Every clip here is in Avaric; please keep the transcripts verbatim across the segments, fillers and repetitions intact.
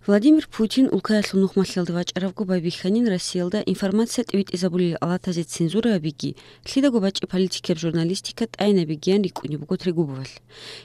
Владимир Путин улкаялъул нухмалъиялда вачӀарабго байбихьанин Россиялда информация тӀибитӀизабулел алатазе цензура гьабиги, лъидаго бачӀи политикияб журналистика тӀайинабигиян рикӀкӀунеб буго Трегубовалъ.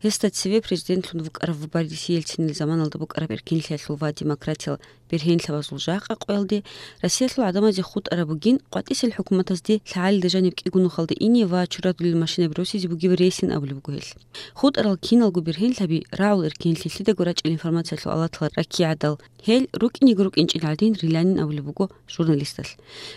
Гьесда цеве президентлъун вукӀарав Борис Ельцинил заманалда букӀараб эркинлъиялъул ва демократиял бергьенлъабазул жакъа къоялде Россиялъул гӀадамазе хутӀараб бугин къватӀисел хӀукуматазде лъагӀалида жаниб кӀиго нухалда ине ва чурадулел машинаби росизе бугеб рейсин абулеб буго гьелъ. ХутӀарал киналго бергьенлъаби рагӀул эркинлъи лъидаго рачӀил информациялъул алатал раккигӀадал, гьел рукӀинего рукӀинчӀел гӀадин риланин абулеб буго журналисталъ.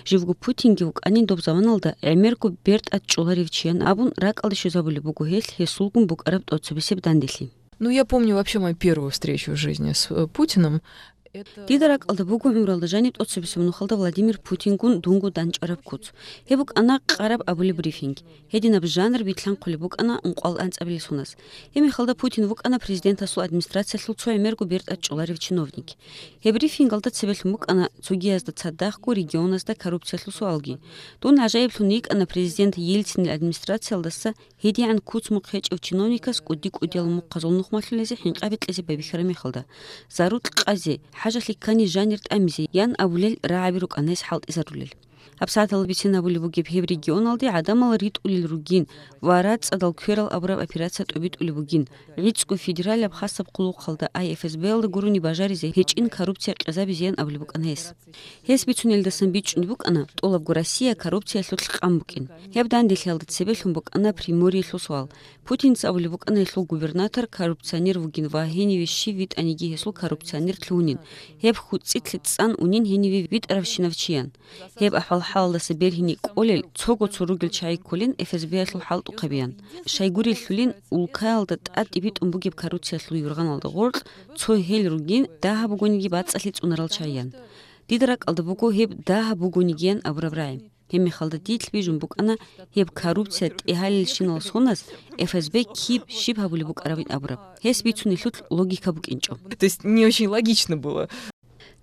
Живго Путинги вукӀанин доб заманалда гӀемерго бертӀа чӀоларев чиян абун ракӀалде щвезабулеб буго гьелъ гьесулгун букӀараб тӀоцебесеб данделъи. Ну, я помню вообще мою первую встречу в жизни с, э, Путиным. Дида ракӀалда буго гӀумралда жаниб тӀоцебесеб нухалда Владимир Путингун дунго дандчӀвараб куц. Гьеб букӀана къараб абулеб брифинг. Гьединаб жанр битлъанхъулеб букӀана ункъвал анцӀабилеб соназ. Гьеб мехалда Путин вукӀана президентасул администрациялъул цо гӀемерго бертӀа чӀоларев чиновник. Гьеб брифингалда цебелъун букӀана цогиязда цадахъго регионазда коррупциялъул суалги. Дун гӀажаиблъун йикӀана президент Ельцинил администрациялдаса гьедигӀан куц-мухъ гьечӀев чиновникас кӀуди-кӀудиял мухъазул нухмалъулезе хӀинкъаби кьезе байбихьараб мехалда, зарукь къазе, хӀажалъи ккани жанир тӀамизе, ян абулел рагӀаби рукӀана гьес хӀалтӀизарулел. ГьабсагӀаталда бицен абулеб бугеб гьеб регионалде гӀадамал ритӀулел ругин ва рацӀцӀадал кверал абураб операция тӀобитӀулеб бугин, гӀицӀго федералияб хасаб хъулухъалда, ай эф эс б-ялда гурони бажаризе гьечӀин коррупция къезабизеян абулеб букӀана гьес. Гьес бицунелдасан бичӀчӀун букӀана, тӀолабго Россия коррупциялъулъ къан букӀин. Гьеб данделъиялда цебелъун букӀана Приморьелъул суал. Путинца абулеб букӀана гьелъул губернатор коррупционер вугин ва гьениве щив витӀаниги гьесул коррупционер лъугьунин, гьеб хьуцӀилъе цӀан унин гьениве витӀаравщинав чиян. Гьеб ахӀвал-хӀалалдаса бергьине кӀолел цого цо ругел чагӀи кколин эф эс б-ялъул хӀалтӀухъабиян. Щайгурелъулин, улкаялда тӀад тӀибитӀун бугеб коррупциялъул юргъаналда гъоркь цо гьел ругин, дагьаб бугониги бацӀцӀалъи цӀунарал чагӀиян. Дида ракӀалда буго гьеб дагьаб бугонигиян абураб рагӀи. Гьеб мехалда дилъ бижун букӀана гьеб коррупция тӀегьалелщинал соназ эф эс б киб щиб гьабулеб букӀарабин абураб. Гьес бицунелъул логика букӀинчӀо. То есть не очень логично было.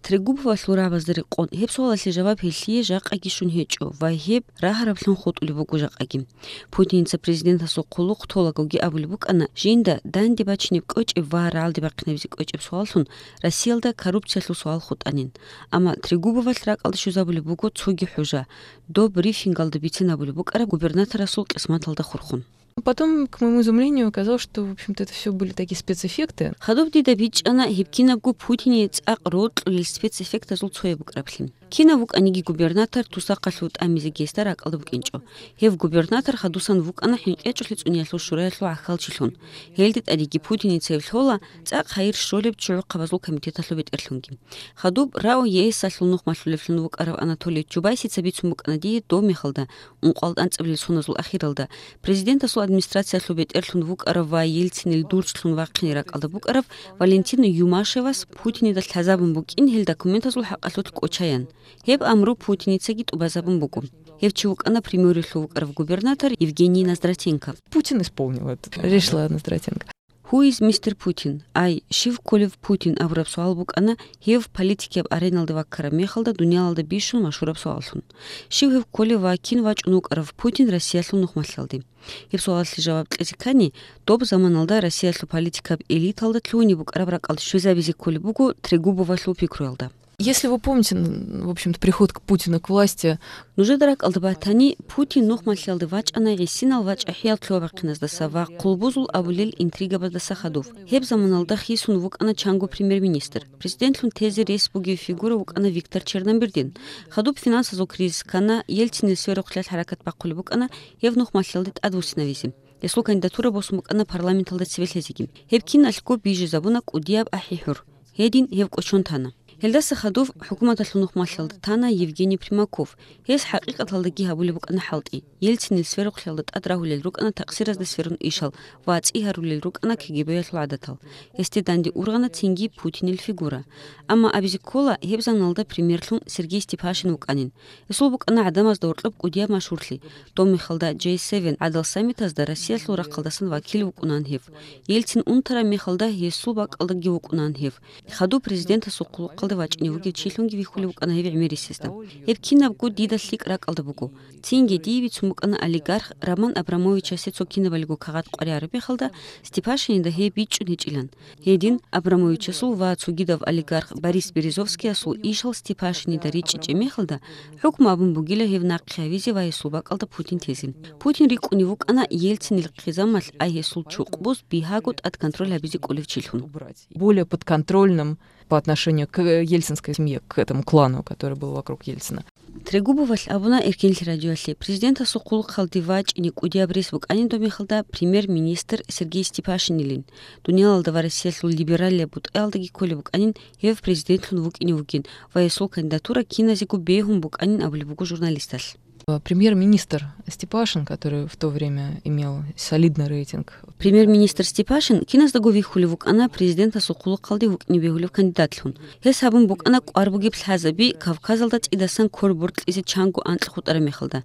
Трегубовалъул рагӀабазда рекъон, гьеб суалалъе жаваб гьелъие жакъаги щун гьечӀо ва гьеб рагьараблъун хутӀулеб буго жакъаги. Путинца президентасул хъулухъ толагоги абулеб букӀана, жинда данде бачинеб кӀочӀеб ва рагӀалде бахъинабизе кӀочӀеб суаллъун Россиялда коррупциялъул суал хутӀанин. Амма Трегубовалъ ракӀалде щвезабулеб буго цоги хӀужа, доб брифингалда бицен абулеб букӀараб губернаторасул къисматалда хурхун. Потом, к моему изумлению, оказалось, что, в общем-то, это всё были такие спецэффекты. Хадуб дида бичӀчӀана гьеб кинабго Путине цӀакъ рокьулел спецэффектазул цояб букӀараблъи. Кинав вукӀаниги губернатор тусахъалъув тӀамизе гьесда ракӀалда букӀинчӀо. Гьев губернатор хадусан вукӀана ХӀинкъичӀулъи цӀуниялъул шураялъул гӀахьалчилъун. Гьелде тӀадеги Путиница гьев лъола цӀакъ хайир щолеб чӀухӀухъабазул комитеталъул бетӀерлъунги. Хадуб РАО ЕС-алъул нухмалъулевлъун вукӀарав Анатолий Чубайсица бицун букӀана дие доб мехалда, ункъоялда анцӀабилел соназул ахиралда, президентасул администрациялъул бетӀерлъун вукӀарав ва Ельцинил дурцлъун вахъине ракӀалда букӀарав Валентин Юмашевас Путинида лъазабун букӀин гьел документазул хӀакъалъулъ кӀочаян. Гьеб амру Путиницаги тӀубазабун буго. Гьев чи вукӀана Приморьелъув вукӀарав губернатор Евгений Ноздратенко. Путин исполнил это решение Ноздратенко. Who is мистер Путин? Ай, щив кколев Путин абураб суал букӀана гьев политикияб ареналда ваккараб мехалда дуниялалда бищун машгьураб суаллъун. Щив гьев кколев ва кин вачӀун вукӀарав Путин Россиялъул нухмалъиялде? Гьеб суалалъе жаваб кьезе ккани, доб заманалда Россиялъул политикаб элиталда лъугьине букӀараб ракӀалде щвезабизе кколеб буго Трегубовалъул пикруялда. Если вы помните, н-, в общем-то, приход к Путину к власти. Нужеда ракӀалда батани, Путин нухмалъиялде вачӀана гӀисинал вачӀахӀиял лъугьа-бахъиназдаса ва хъулбузул абулел интригабаздаса хадув. Гьеб заманалда хисун вукӀана чанго премьер-министр. Президентлъун тезе рес бугев фигура вукӀана Виктор Черномырдин. Хадуб финансазул кризис ккана, Ельцинил сверухълъиялъ хӀаракат бахъулеб букӀана гьев нухмалъиялде тӀадвуссинавизе. Гьесул кандидатура босун букӀана парламенталда цебе лъезеги. Гьеб киналъго бижизабуна кӀудияб ахӀи-хӀур. Гьедин гьев кӀочон тана. Гьелдаса хадув хӀукуматалъул нухмалъиялда тана Евгений Примаков. Гьес хӀакъикъаталдаги гьабулеб букӀана хӀалтӀи. Ельцинил сверухълъиялда тӀад рагьулел рукӀана такъсиразда сверун ишал ва цӀи гьарулел рукӀана КГБ-ялъул гӀадатал. Гьесде данде ургъана цинги Путинил фигура. Амма абизе ккола, гьеб заманалда премьерлъун Сергей Степашин вукӀанин. Гьесул букӀана гӀадамазда гьоркьоб кӀудияб машгьурлъи. Доб мехалда Джей севен гӀадал саммитазда Россиялъул рахъалдасан вакил вукӀунаан гьев. Ельцин унтараб мехалда гьесул бакӀалдаги вукӀунаан гьев. Хадуб президентасул хъулухъалда вачӀине вугев чилъунги вихьулев вукӀана гьев гӀемерисезда. Гьеб кинабго дида лъикӀ ракӀалда буго. Цинги дие бицун букӀана олигарх Роман Абрамовичасе цо кинабалиго кагъат къваригӀараб мехалда, Степашинида гьеб бичӀчӀун гьечӀилан. Гьедин Абрамовичасул ва цогидав олигарх Борис Березовскиясул ишал Степашинида ричӀчӀичӀеб мехалда, хӀукму абун бугила гьев нахъе гьавизе ва гьесул бакӀалда Путин тезе. Путин рикӀкӀунев вукӀана Ельцинил хъизамалъ, ай гьесул чукъбуз бигьаго тӀад контроль гьабизе кӀолев чилъун. Более подконтрольным по отношению к ельцинской семье, к этому клану, который был вокруг Ельцина. Трегубовалъ абуна Эркенлъи радиоялъе, президентасул хъулухъалде вачӀине кӀудияб рес букӀанин доб мехалда премьер-министр Сергей Степашинилин. Дуниялалда ва Россиялъул либералияб бутӀаялдаги кколеб букӀанин гьев президентлъун вукӀине вугин ва гьесул кандидатура киназего бегьун букӀанин абулеб буго журналисталъ. Премьер-министр Степашин, который в то время имел солидный рейтинг. Премьер-министр Степашин киназдаго вихьулев вукӀана президентасул хъулухъалде вукӀине бегьулев кандидатлъун. Гьес гьабун букӀана кӀвар бугеб лъазаби Кавказалда цӀидасан ккор боркьизе чанго анкь хутӀараб мехалда.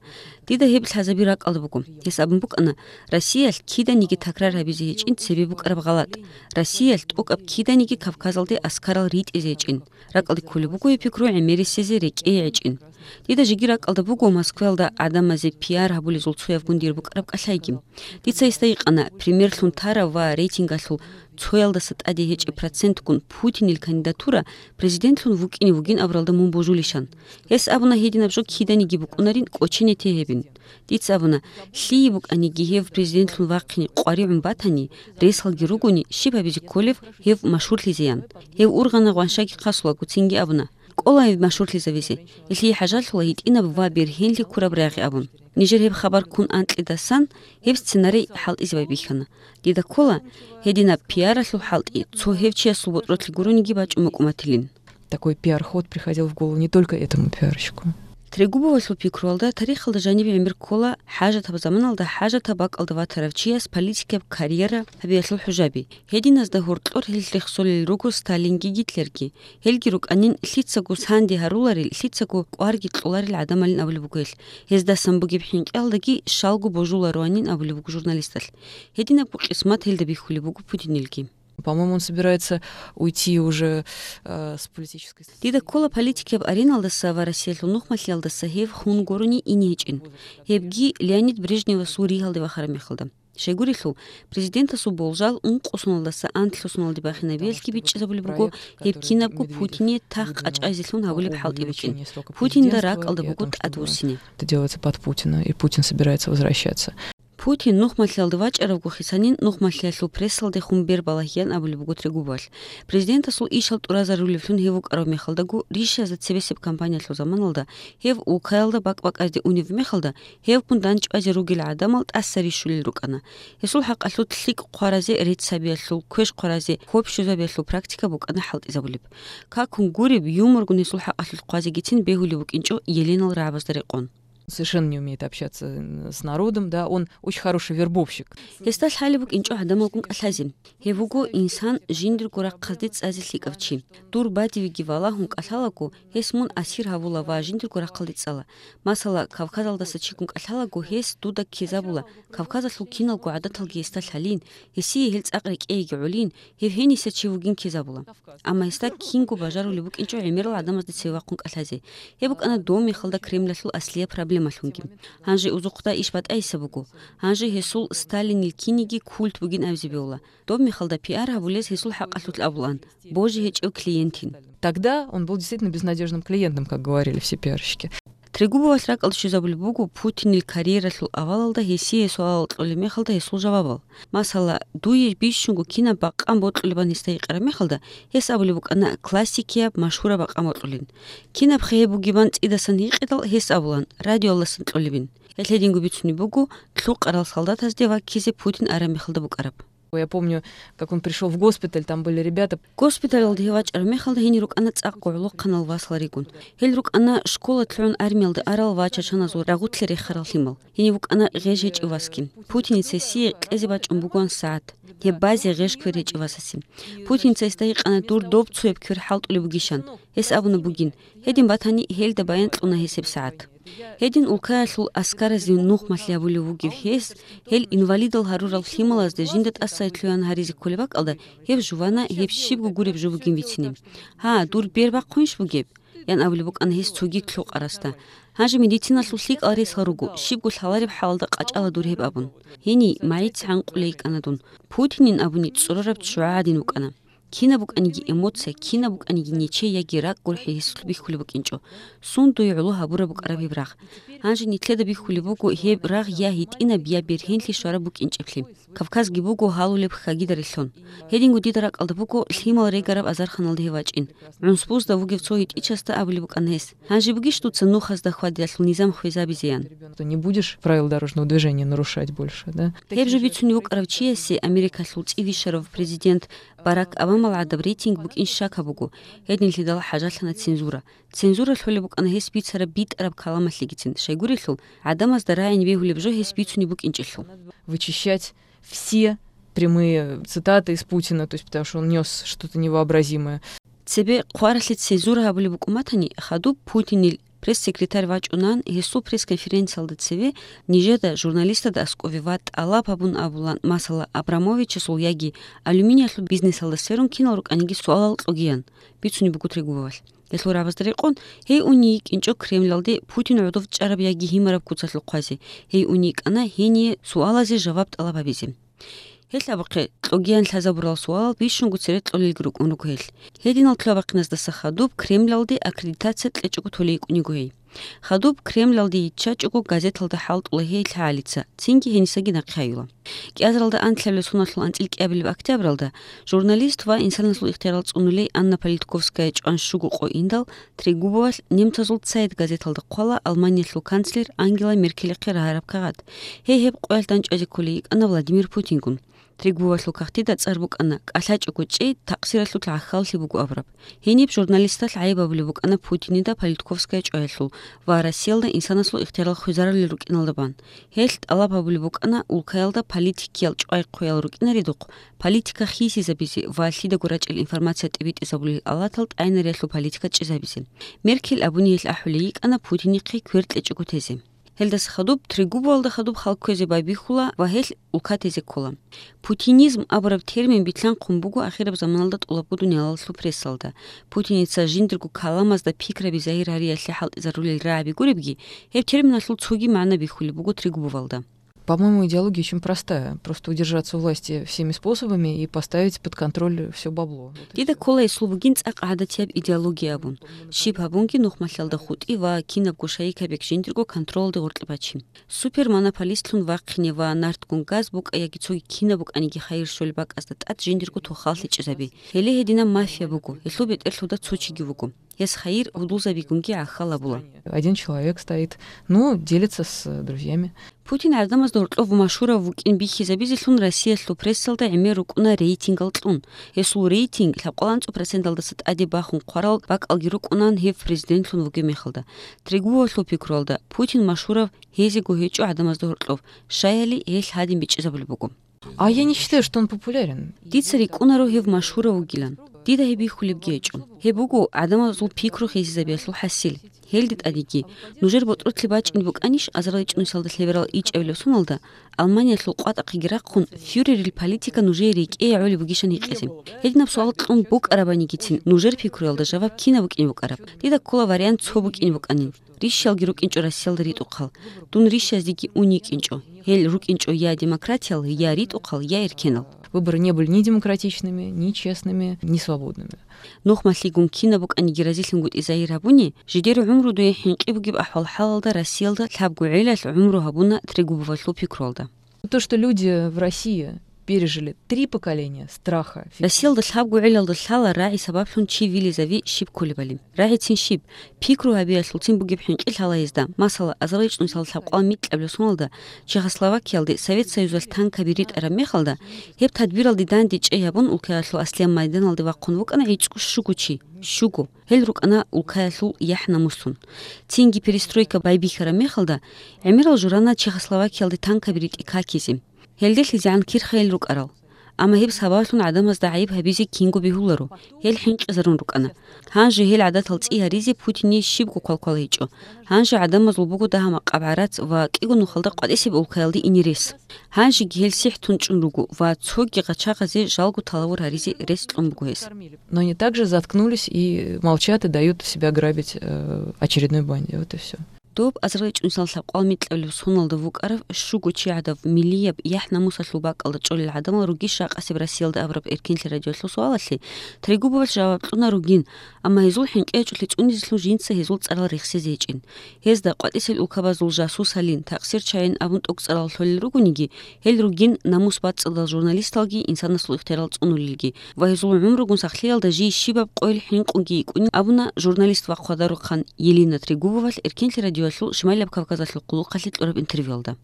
Дида гьеб лъазаби ракӀалда буго. Гьес абун букӀана, Россиялъ киданиги такрар гьабизе гьечӀин цебе букӀараб гъалатӀ. Россиялъ тӀокӀаб киданиги Кавказалде аскарал ритӀизе гьечӀин. РакӀалде кколеб буго гьеб пикру гӀемерисезе рекӀее гьечӀин. Дида жеги ракӀалда буго Москваялда гӀадамазе пиар гьабулезул цоябгун дир букӀараб кӀалъайги. Дица гьесда гьикъана, премьерлъун тарав ва рейтингалъул цоялдаса тӀаде гьечӀеб процентгун Путинил кандидатура президентлъун вукӀине вугин абуралда мун божулищан. Гьес абуна гьединаб жо киданиги букӀунарин кӀочене те гьебин. Дица абуна, лъие букӀаниги гьев президентлъун вахъине къваригӀун батани, ресалги ругони, щиб гьабизе кколев гьев машгьурлъизеян. Гьев ургъана гъваншаги хъасулаго, цинги абуна, кӀола гьев машгьурлъизавизе, гьелъие хӀажалъула гьитӀинаб ва бергьенлъи ккураб рагъи абун. Нижер гьеб хабар ккун анкьидасан гьеб сценарий хӀалтӀизе байбихьана. Дида ккола, гьединаб пиаралъул хӀалтӀи цо гьев чиясул ботӀролъи гурониги бачӀун букӀуматилин. Такой пиар-ход приходил в голову не только этому пиарщику. Трегубовалъул пикруялда тарихалда жаниб гӀемер ккола хӀажатаб заманалда хӀажатаб бакӀалда ватарав чияс политикаб карьера гьабиялъул хӀужаби. Гьединазда гьоркьор гьел рехсолел руго Сталинги Гитлерги. Гьелги рукӀанин лъицаго санде гьаруларел, лъицаго кӀварги кьоларел гӀадамалин абулеб буго гьел. Гьездасан бугеб хӀинкъиялдаги щалго божулароанин абулеб буго журналисталъ. Гьединабго къисмат гьелда бихьулеб буго Путинилги. По-моему, он собирается уйти уже э, с политической сцены. Дида ккола политикаб ареналдаса ва Россиялъул нухмалъиялдаса гьев хун гурони ине гьечӀин. Гьебги Леонид Брежневасул ригьалде вахараб мехалда. Щайгурелъул, президентасул болжал ункъо соналдаса анлъго соналде бахинабиялъги бичӀчӀизабулеб буго гьеб кинабго Путине тах къачӀайзелъун гьабулеб хӀалтӀи букӀин. Путинда ракӀалда буго тӀадвуссине. Это делается под Путина, и Путин собирается возвращаться. Путин нухмалъиялда вачӀаравго хисанин нухмалъиялъул прессалдехун бер балагьеян абулеб буго Трегубовалъ. Президентасул ишал тӀуразарулевлъун гьев вукӀарав мехалдаго ришазда цебесеб кампаниялъул заманалда гьев улкаялда бакӀ-бакӀазде унев мехалда гьевгун дандчӀвазе ругел гӀадамал тӀаса рищулел рукӀана. Гьесул хӀакъалъулъ лъикӀ хъваразе рецц гьабиялъул, квеш хъваразе квеш щвезабиялъул практика букӀана хӀалтӀизабулеб. Какун гуреб, юморгун гьесул хӀакъалъулъ хъвазегицин бегьулеб букӀинчӀо еленал рагӀабазда рекъон. Совершенно не умеет общаться с народом, да, он очень хороший вербовщик. Гьесда лъалеб букӀинчӀо гӀадамалгун кӀалъазе. Гьев вуго инсан жиндирго рахъалде цӀазе лъикӀав чи. Дур бадивиги валагьун кӀалъалаго, гьес мун асир гьавула ва жиндирго рахъалде цӀала. Масала, Кавказалдаса чигун кӀалъалаго, гьес дуда ккезабула, Кавказалъул киналго гӀадаталги гьесда лъалин, гьесие гьел цӀакъ рекӀееги гӀолин, гьев гьениса чи вугин ккезабула. Амма гьесда кинго бажарулеб букӀинчӀо гӀемерал гӀадамазда цеве вахъун кӀалъазе. Гьеб букӀана доб мехалда Кремлалъул аслияб проблемалъунги. Гьанже узухъда иш батӀайса буго. Гьанже гьесул Сталинил киниги культ бугин абизе бегьула. Доб мехалда пиар гьабулез гьесул хӀакъалъулъ абулаан, божи гьечӀев клиентин. Тогда он был действительно безнадежным клиентом, как говорили все пиарщики. Трегубовалъ ракӀалде щвезабулеб буго Путинил карьералъул авалалда гьесие суалал кьолеб мехалда гьесул жавабал. Масала, дуе бищунго кинаб бакъан бокьулебан гьесда гьикъараб мехалда, гьес абулеб букӀана классикияб машгьураб бакъан бокьулин. Кинаб хъе гьеб бугебан цӀидасан гьикъидал, гьес абулан, радиоялдасан кьолебин. Гьелъ гьединго бицунеб буго лъукъарал солдатазде ваккизе Путин араб мехалда букӀараб. Я помню, как он пришел в госпиталь, там были ребята. Госпиталалда гьев вачӀараб мехалда гьенир рукӀана цӀакъ гӀолохъанал васал ригун. Гьел рукӀана школа лъугӀун армиялда арал ва чачаназул рагъулъе рехарал лъимал. Гьенив вукӀана гъеж гьечӀев васги. Путиница гьесие кьезе бачӀун бугоан сагӀат. Гьеб базе гъеж квер гьечӀев васасе. Путиница гьесда гьикъана дур доб цояб квер хӀалтӀулеб бугищан. Гьес абуна бугин, гьедин батани, гьелда баян кьуна гьес гьеб сагӀат. Гьедин улкаялъул аскаразе нухмалъи гьабулев вугев гьес, гьел инвалидал гьарурал лъималазде жинда тӀасалъугьан гьаризе кколеб бакӀалда, гьеб жувана гьеб щибго гуреб жо бугин бицине. «Гьа, дур бер бахъунищ бугеб?» – ян абулеб букӀана гьес цоги лъукъарасда. «Гьанже медициналъул лъикӀал ресал руго, щибго лъалареб хӀалалда къачӀала дур гьеб», – абун. Гьениб магӀица гӀанкъулей йикӀана дун. Путинин абуни цӀурараб ччугӀа гӀадин букӀана. Кинаб букӀаниги эмоция, кинаб букӀаниги нечей яги ракӀ гурхӀи гьесулъ бихьулеб букӀинчӀо. Сундуе гӀоло гьабураб букӀараб гьеб рагъ. Гьанже нилъеда бихьулеб буго гьеб рагъ я гьитӀинаб, я бергьенлъи щвараб букӀинчӀеблъи. Кавказги буго гьалулеб хагида релълъун. Гьединго дида ракӀалда буго лъимал регараб азарханалда гьев вачӀин. ГӀунсбузда вугев цо гьитӀичасда абулеб букӀана гьес: «Гьанже бугищ дуца нухазда хьвадиялъул низам хвезабизеян?» Что не будешь правила дорожного движения нарушать больше, да? Гьеб жо бицунев вукӀарав чиясе Америкалъул цӀи вищарав президент Барак Обамал гӀадаб рейтинг букӀин щакаб буго, гьединлъидал хӀажалъана цензура. Цензура лъолеб букӀана гьес бицараб битӀараб каламалъегицин, щайгурелъул, гӀадамазда рагӀин бегьулеб жо гьес бицунеб букӀинчӀелъул. Вычищать все прямые цитаты из Путина, то есть потому что он нёс что-то невообразимое. Цебе хъваралъе цензура гьабулеб букӀун батани, хадуб Путинил пресс-секретарь вачӀунан гьесул пресс-конференциялда цеве нижеда журналистазда аскӀове ва тӀалаб гьабун абулан, масала, Абрамовичасул яги алюминиялъул бизнесалда сверун кинал рукӀаниги суалал кьогиян, бицунеб буго Трегубовалъ. Гьелъул рагӀабазда рекъон, гьей уней йикӀинчӀо Кремлалде Путин гӀодов чӀараб яги гьимараб куцалъухъ хъвазе, гьей уней йикӀана гьение суалазе жаваб тӀалаб гьабизе. Гьелъ абухъе, кьогиян лъазабурал суалал бищунго цере кьолелги рукӀун руго гьелъ. Гьединал лъугьа-бахъиназдаса хадуб Кремлалде аккредитация кьечӀого толей йикӀун йиго гьей. Хадуб Кремлалде йиччачӀого газеталда хӀалтӀула гьей лъагӀалица, цинги гьенисаги нахъе гьаюла. КӀиазаралда анлъабилеб соналъул анцӀил кӀиабилеб октябралда журналист ва инсанасул ихтиярал цӀунулей Анна Политковская чӀван щуго къо индал, Трегубовалъ немцазул «Цайт» газеталда хъвала Алманиялъул канцлер Ангела Меркелихъе рагьараб кагъат. Гьей гьеб къоялъ дандчӀвазе кколей йикӀана Владимир Путингун. Трегубовалъул кагътида цӀар букӀана: «КӀалъачӀого чӀей, такъсиралъулъ гӀахьаллъи буго», – абураб. Гьениб журналисталъ гӀайиб гьабулеб букӀана Путинида Политковская чӀваялъул ва Россиялда инсанасул ихтиярал хвезарулел рукӀиналда бан. Гьелъ тӀалаб гьабулеб букӀана улкаялда политикиял чӀвай-хъвеял рукӀинаредухъ политика хисизабизе ва лъидаго рачӀел информация тӀибитӀизабулел алатал тӀайнариялъул политика чӀезабизе. Меркель абуни гьелъ ахӀулей йикӀана Путинихъе квер кьечӀого тезе. Гьелдаса хадуб Трегубовалда хадуб хал кквезе байбихьула ва гьелъ улка тезе ккола. Путинизм абураб термин билълъанхъун буго ахираб заманалда тӀолабго дуниялалъул прессалда. Путиница жиндирго каламазда пикраби загьир гьариялъе хӀалтӀизарулел рагӀаби гуребги, гьеб терминалъул цоги магӀна бихьулеб буго Трегубовалда. По-моему, идеология очень простая. Просто удержаться у власти всеми способами и поставить под контроль все бабло. Вот и Дида всё. Ккола гьесул бугин цӀакъ гӀадатияб идеология абун. Щиб гьабунги нухмалъалда хутӀи ва кинабго шайикаб бек жиндирго контролалде гъоркье бачи. Супермонополистлъун вахъине ва нартгун газ букӀа яги цоги кинаб букӀаниги хайир щолеб бакӀазда тӀад жиндирго тохал лъечӀезаби. Гьеле гьединаб мафия буго, гьелъул бетӀерлъуда цо чиги вуго. Гьес хайир гьудулзабигунги гӀахьал абула. Один человек стоит, ну, делится с друзьями. Путин гӀадамазда гьоркьов машгьурав вукӀин бихьизабизелъун Россиялъул прессалда гӀемер рукӀуна рейтингал кьун. Гьесул рейтинг лъабкъоялда анцӀго проценталдаса тӀаде бахун хъварал бакӀалги рукӀунан гьев президентлъун вугеб мехалда. Трегубовалъул пикруялда, Путин машгьурав гьезего гьечӀо гӀадамазда гьоркьов, щаяли гьелъ гьадин бичӀчӀизабулеб буго. А я не считаю, что он популярен. Дица рикӀкӀунаро гьев машгьурав вугилан. Дида гьеб бихьулебги гьечӀо. Гьеб буго гӀадамазул пикру хисизабиялъул хӀасил. Гьелде тӀадеги, нужер ботӀролъи бачӀине букӀанищ азарилчӀунусалда лъеберал ичӀабилеб соналда, Алманиялъул къватӀахъеги рахъун, фюрерил политика нужее рекӀее гӀолеб бугищан гьикъизе? Гьединаб суал кьун букӀарабанигицин, нужер пикруялда жаваб кинаб букӀине букӀараб? Дида ккола вариант цо букӀине букӀанин. Рищалги рукӀинчӀо Россиялда ритӀухъал. Дун рищаздеги ун йикӀинчӀо. Гьел рукӀинчӀо я демократиял, я ритӀухъал, я эркенал. Выборы не были ни демократичными, ни честными, ни свободными. Нухмалъигун кинаб букӀаниги разилъунгутӀи загьир гьабуни, жидер гӀумру дуе хӀинкъи бугеб ахӀвал-хӀалалда Россиялда лъабго гӀелалъ гӀумру гьабуна Трегубовалъул пикруялда. То, что люди в России пережили три поколения страха, фи- Россиялда лъабго гӀелалда лъала рагӀи сабаблъун чи вилизави щиб кколебали. РагӀицин щиб, пикру гьабиялъулцин бугеб хӀинкъи лъала гьезда. Масала, азарилчӀунусал лъабкъоялда микьабилеб соналда Чехословакиялде Совет Союзалъ танкаби ритӀараб мехалда, гьеб тадбиралде данде чӀей гьабун, улкаялъул аслияб майданалде вахъун вукӀана гӀицӀго-щуго чи. Щуго. Гьел рукӀана улкаялъул яхӀ-намуслъун. Цинги перестройка байбихьараб мехалда, гӀемерал журана Чехословакиялде танкаби ритӀи какизе. ГьелделъизегӀан кирхайил рукӀарал. Амма гьеб сабаблъун гӀадамазда гӀайиб гьабизе кинго бегьуларо, гьел хӀинкъизарун рукӀана. Гьанже гьел гӀадатал цӀи гьаризе Путине щибго квалквал гьечӀо. Гьанже гӀадамазул буго дагьа-макъаб гӀарац ва кӀиго нухалда къватӀисеб улкаялде ине рес. Гьанжеги гьел сихӀ тунчӀун руго ва цоги гъачагъазе жалго талавур гьаризе рес кьун буго гьес. Но они также заткнулись и молчат, и дают себя грабить, э, очередной банде. Вот и всё. Доб азарилчӀунсал лъабкъоялда микьабилеб соналда вукӀарав щуго чи гӀадав миллияб яхӀ-намусалъул бакӀалда чӀолел гӀадамал ругищ ракъасеб Россиялда абураб эркенлъи радиоялъул суалалъе Трегубовалъ жаваб кьуна ругин, амма гьезул хӀинкъи гьечӀолъи цӀунизелъун жинца гьезул цӀарал рехсезе гьечӀин. Гьезда къватӀисел улкабазул жасусалин, такъсирчагӀин абун тӀокӀцӀарал лъолел ругониги, гьел ругин намус бацӀцӀадал журналисталги инсанасул ихтиярал цӀунулелги ва гьезул гӀумругун сахлъиялда жий щибаб къойил хӀинкъунги йикӀунин абуна журналист ва хъвадарухъан Елена Трегубовалъ Эркенлъи радиоялъул Шималаб Кавказалъул хъулухъалъе кьураб интервьюялда.